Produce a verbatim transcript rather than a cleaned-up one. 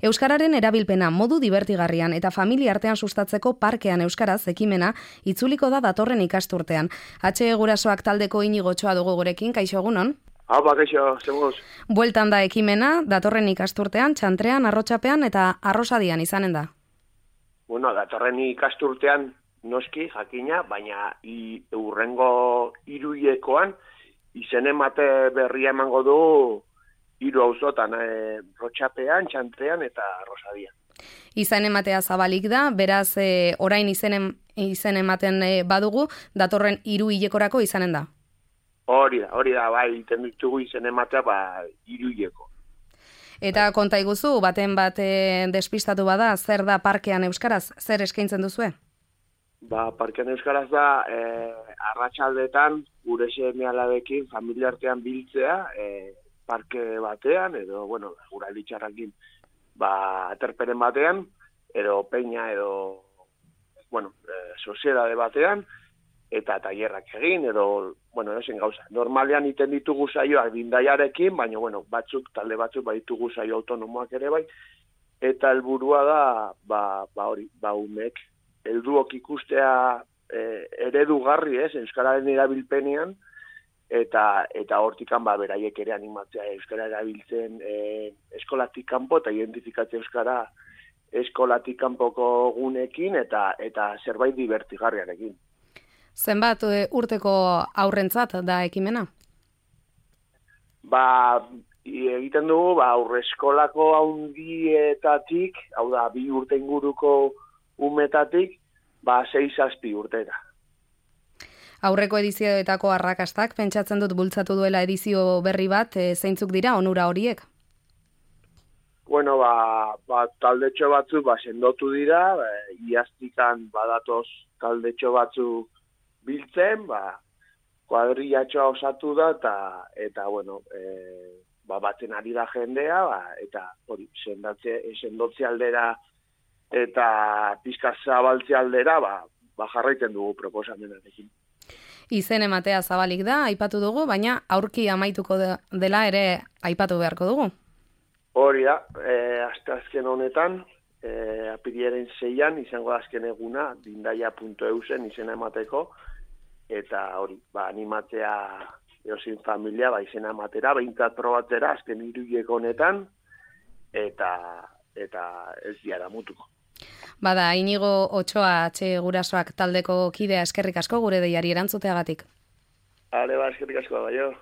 Euskararen erabilpena modu dibertigarrian eta familia artean sustatzeko parkean euskaraz ekimena itzuliko da datorren ikasturtean. H Gurasoak taldeko Inigo Otxoa dugu gurekin, kaixo egunon? Hau, kaixo, zegoz. Bueltan da ekimena, datorren ikasturtean, Txantrean, Arrotxapean eta Arrosadian izanen da. Bueno, datorren ikasturtean noski, jakina, baina i, urrengo hiruilekoan izen emate berria emango du hiru auzotan, e, Arrotxapean, Txantrean eta Arrosadian. Izen ematea zabalik da, beraz e, orain izen, izen ematen e, badugu, datorren hiruilekorako izanen da. Hori da, hori da, bai, iten ditugu izen ematea, ba, hiruileko. Eta konta iguzu, baten bat e, despistatu bada, zer da parkean euskaraz, zer eskaintzen duzue? Ba, parkean euskaraz da, e, arratsaldetan gure seme-alabekin, familia artean biltzea, e, parke batean, edo, bueno, gura litxarrakin, ba, aterperen batean, edo peña, edo, bueno, e, soziedade batean, eta tailerrak egin, edo, bueno, edozen gauza. Normalean iten ditugu saioak bindaiarekin, baina, bueno, batzuk, talde batzuk, ba, ditugu saio autonomoak ere bai, eta helburua da, ba, ba hori, ba, umek, helduok ikustea e, eredugarri, ez, euskararen erabilpenean, eta eta hortikan, ba, beraiek ere animatzea euskara erabiltzen e, eskolatik kanpo, eta identifikatzea euskara eskolatik kanpoko gunekin, eta, eta zerbait divertigarriarekin. Zenbat urteko aurrentzat da ekimena? Ba, egiten dugu, ba, aurreskolako haundietatik, hau da, bi urte inguruko umetatik, ba, sei zazpi urtera. Aurreko edizioetako arrakastak, pentsatzen dut bultzatu duela edizio berri bat, e, zeintzuk dira onura horiek? Bueno, ba, ba taldetxo batzuk, ba, sendotu dira, ba, iaztikan badatoz taldetxo batzuk biltzen, ba, kuadrillatxoa osatu da, eta, eta bueno, e, ba, batzen ari da jendea, ba, eta hori, sendatze, sendotze aldera, eta pizka zabaltze aldera, ba, ba, jarraiten dugu proposamenarekin. Izen ematea zabalik da, aipatu dugu, baina aurki amaituko dela ere aipatu beharko dugu. Hori da, e, asteazken honetan, e, apiriaren seian, izango da azken eguna, dindaia puntu eu zen izena emateko, eta hori, ba, animatzea eozin familia, ba, izena ematera, behintzat probatzera, azken hiruileko honetan, eta, eta ez diara mutuko. Bada, Inigo Otxoa H Gurasoak taldeko kidea eskerrik asko gure deiari erantzuteagatik. Hale, ba, eskerrik asko, bai jo.